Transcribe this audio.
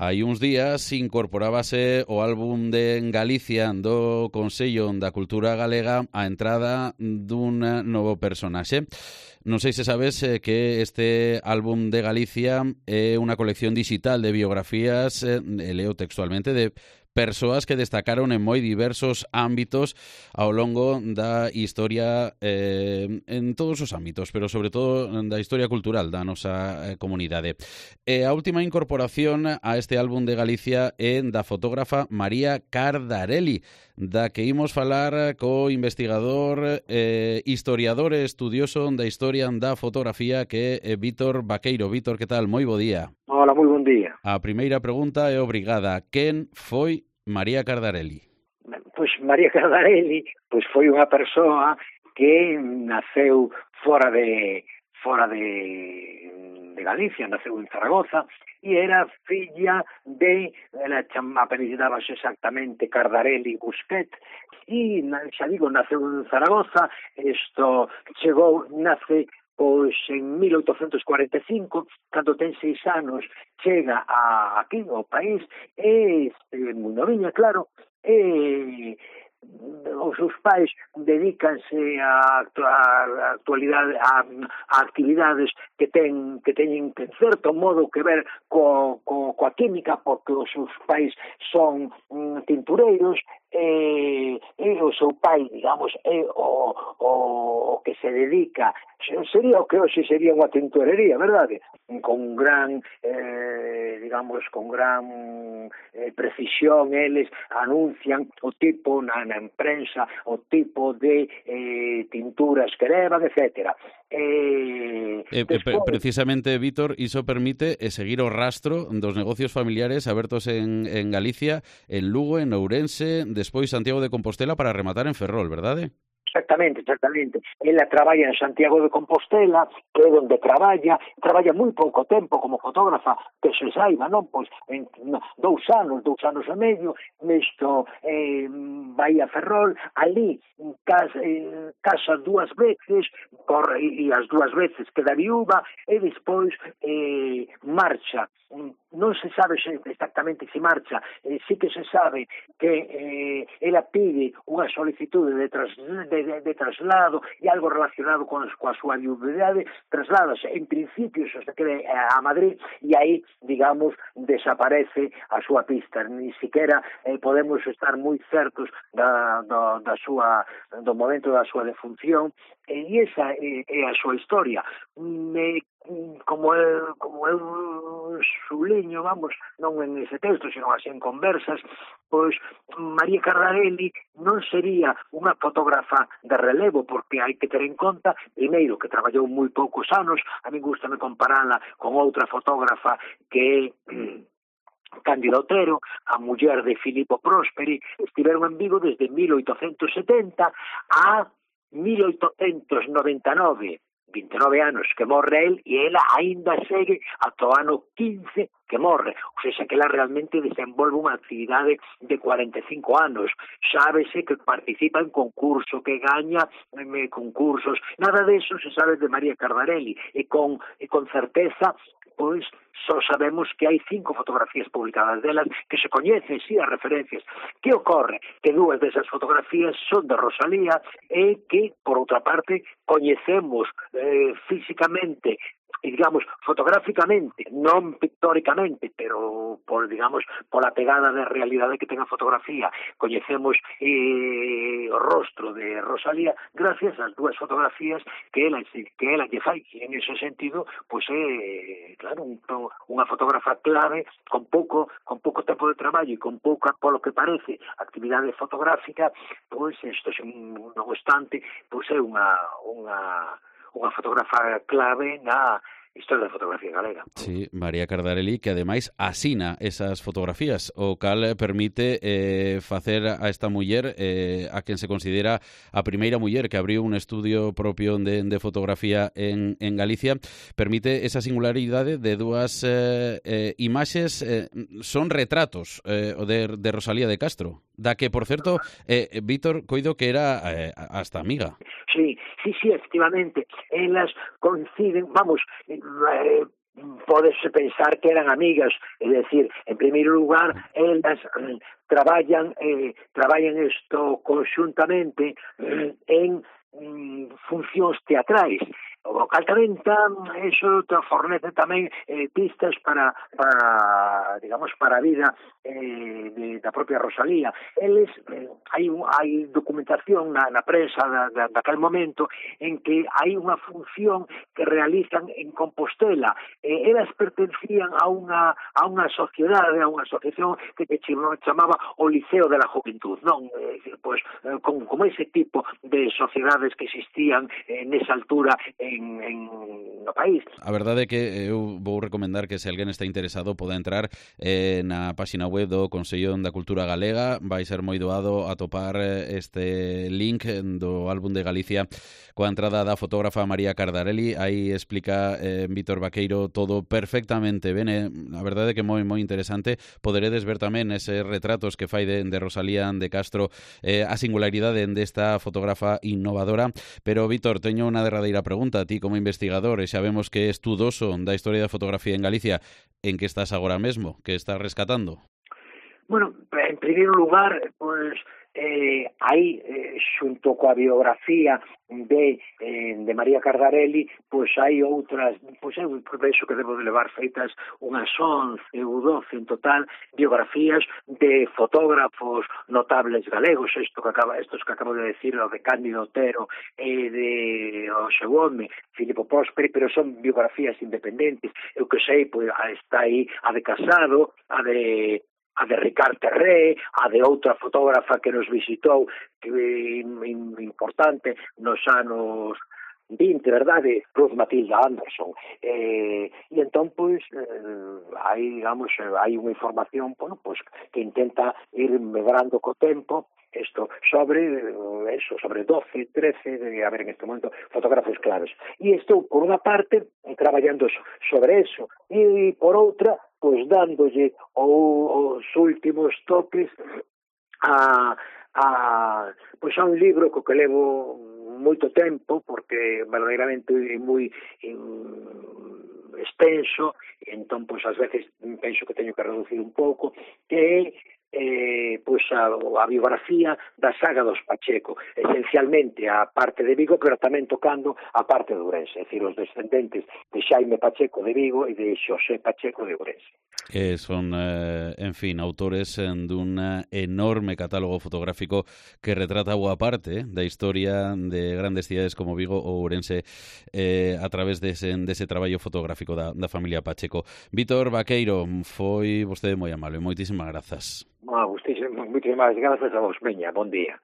Hai uns días incorporábase o álbum de Galicia do Consello da Cultura Galega a entrada dun novo personaxe. Non sei se sabes que este álbum de Galicia é unha colección digital de biografías, leo textualmente, de persoas que destacaron en moi diversos ámbitos ao longo da historia, en todos os ámbitos, pero sobre todo da historia cultural da nosa comunidade. A última incorporación a este álbum de Galicia é da fotógrafa María Cardarelli, da que imos falar co investigador, historiador e estudioso da historia da fotografía, que é Vítor Vaqueiro. Vítor, que tal? Moi bo día. Hola, moi bon día. A primeira pregunta é obrigada. Quen foi María Cardarelli? Pois María Cardarelli foi unha persoa que naceu fora de Galicia, naceu en Zaragoza, e era filla de, ela apellidábase exactamente Cardarelli Busquet, e xa digo, naceu en Zaragoza, nace pois en 1845, cando ten 6 anos, chega aquí ao país, moi noviña, claro, os seus pais dedícanse a actividades que teñen en certo modo que ver coa química, porque os seus pais son tintureiros, e o seu pai, digamos, é o que se dedica, sería o que hoxe sería unha tintorería, verdade? Con gran, precisión, eles anuncian o tipo na imprensa, o tipo de tinturas que levan, etcétera. Precisamente, Vítor, iso permite seguir o rastro dos negocios familiares abertos en Galicia, en Lugo, en Ourense, despois Santiago de Compostela, para rematar en Ferrol, verdade? Exactamente. Ela traballa en Santiago de Compostela, que é onde traballa moi pouco tempo como fotógrafa, que se saiba, non? Pois en 2 anos e medio, nisto vai a Ferrol, ali casa 2 veces, e as 2 veces queda viúva, e despois marcha. Non se sabe exactamente se marcha, sí que se sabe que ela pide unha solicitude de traslado e algo relacionado coa súa viudedade, trasládase en principio se quede a Madrid, e aí, digamos, desaparece a súa pista, ni siquiera podemos estar moi certos do momento da súa defunción, e esa é a súa historia. Como eu suliño, vamos, non en ese texto, sino así en conversas, pois María Cardarelli non sería unha fotógrafa de relevo, porque hai que ter en conta, primeiro, que traballou moi poucos anos. A mí gustame comparala con outra fotógrafa que é Cándida Otero, a muller de Filippo Prosperi. Estiveron en Vigo desde 1870 a 1899, 29 anos que morre el, e ela aínda segue ata o ano 15 que morre, ou seja, que ela realmente desenvolve unha actividade de 45 anos, sábese que participa en concurso, que gaña concursos, nada deso se sabe de María Cardarelli, e con certeza, pois, só sabemos que hai 5 fotografías publicadas delas que se coñecen, sí, as referencias. Que ocorre? Que 2 desas fotografías son de Rosalía, e que, por outra parte, coñecemos físicamente, e, digamos, fotográficamente, non pictóricamente, pero pola pegada de realidade que ten a fotografía, coñecemos o rostro de Rosalía gracias ás 2 fotografías que ela lle fai, e en ese sentido, pois é, claro, unha fotógrafa clave, con pouco tempo de traballo e con pouca, polo que parece, actividade fotográfica, pois isto, non obstante, pois é unha fotógrafa clave na historia da fotografía galega. Sí, María Cardarelli, que ademais asina esas fotografías, o cal permite facer a esta muller, a quen se considera a primeira muller que abriu un estudio propio de fotografía en Galicia, permite esa singularidade de 2 imaxes, son retratos de Rosalía de Castro, da que, por certo, Vítor, coido que era hasta amiga. Sí, efectivamente, elas coinciden, vamos, pódese pensar que eran amigas, é dicir, en primeiro lugar, elas traballan isto conxuntamente en funcións teatrais, o cal tamén eso fornece tamén pistas para digamos, para a vida da propia Rosalía. Eles, hai documentación na prensa daquel momento en que hai unha función que realizan en Compostela. Elas pertencían a unha sociedade, a unha asociación que chamaba o Liceo de la Juventud, non? Pois, como ese tipo de sociedades que existían nesa altura no país. A verdade é que eu vou recomendar que se alguén está interesado poda entrar na páxina web do Consello da Cultura Galega. Vai ser moi doado atopar este link do álbum de Galicia coa entrada da fotógrafa María Cardarelli. Aí explica Vítor Vaqueiro todo perfectamente ben. A verdade é que moi interesante. Poderedes ver tamén eses retratos que fai de Rosalía de Castro, a singularidade desta fotógrafa innovadora. Pero, Vítor, teño unha derradeira pregunta. Ti, como investigador, e xa vemos que é estudoso da historia da fotografía en Galicia, en que estás agora mesmo? Que estás rescatando? Bueno, en primeiro lugar, pois hai, xunto coa biografía de María Cardarelli, pois hai outras, pois eu penso que debo de levar feitas unhas 11 ou 12 en total biografías de fotógrafos notables galegos, estos que acabo de decir, o de Cándido Otero e de o seu home, Filipo Prósperi, pero son biografías independentes. Eu que sei, pois está aí a de Casado, a de Ricard Terré, a de outra fotógrafa que nos visitou, que importante nos anos 20, verdade, Ruth Matilda Anderson. E entón, pois, hai unha información, bueno, pois, que intenta ir medrando co tempo, isto sobre 12, 13, de haber en este momento fotógrafos claves. E estou, por unha parte, traballando sobre eso, e por outra, pois dándolle os últimos toques a un libro co que levo moito tempo, porque verdadeiramente é moi extenso, e entón, pois, ás veces penso que teño que reducir un pouco, que é pois a biografía da saga dos Pacheco, esencialmente a parte de Vigo, pero tamén tocando a parte de Ourense, é dicir, os descendentes de Xaime Pacheco de Vigo e de Xosé Pacheco de Ourense. Son, en fin, autores dun enorme catálogo fotográfico que retrata boa parte da historia de grandes cidades como Vigo ou Ourense a través dese traballo fotográfico da familia Pacheco. Vítor Vaqueiro, foi vostede moi amable, moitísimas grazas. Moitísimas grazas a vos, veña, bon día.